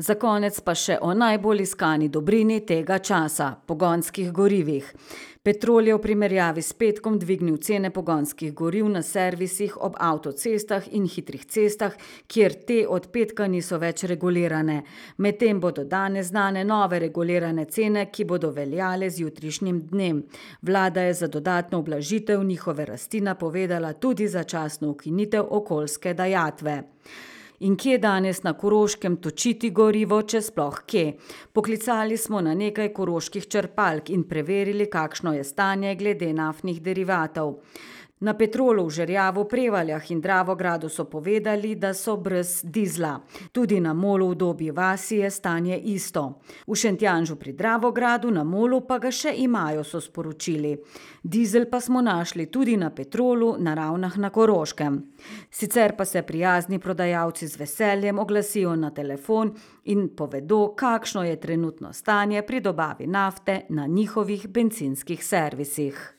Za konec pa še o najbolj iskani dobrini tega časa, pogonskih gorivih. Petrol je v primerjavi s petkom dvignil cene pogonskih goriv na servisih ob avtocestah in hitrih cestah, kjer te od petka niso več regulirane. Medtem bodo danes znane nove regulirane cene, ki bodo veljale z jutrišnjim dnem. Vlada je za dodatno ublažitev njihove rasti napovedala tudi začasno ukinitev okoljske dajatve. In kje danes na Koroškem točiti gorivo, če sploh kje? Poklicali smo na nekaj koroških črpalk in preverili, kakšno je stanje glede naftnih derivatov. Na Petrolu v Žerjavu, Prevaljah in Dravogradu so povedali, da so brez dizla. Tudi na Molu v Dobji vasi je stanje isto. V Šentjanžu pri Dravogradu, na Molu pa ga še imajo, so sporočili. Dizel pa smo našli tudi na Petrolu na Ravnah na Koroškem. Sicer pa se prijazni prodajalci z veseljem oglasijo na telefon in povedo, kakšno je trenutno stanje pri dobavi nafte na njihovih bencinskih servisih.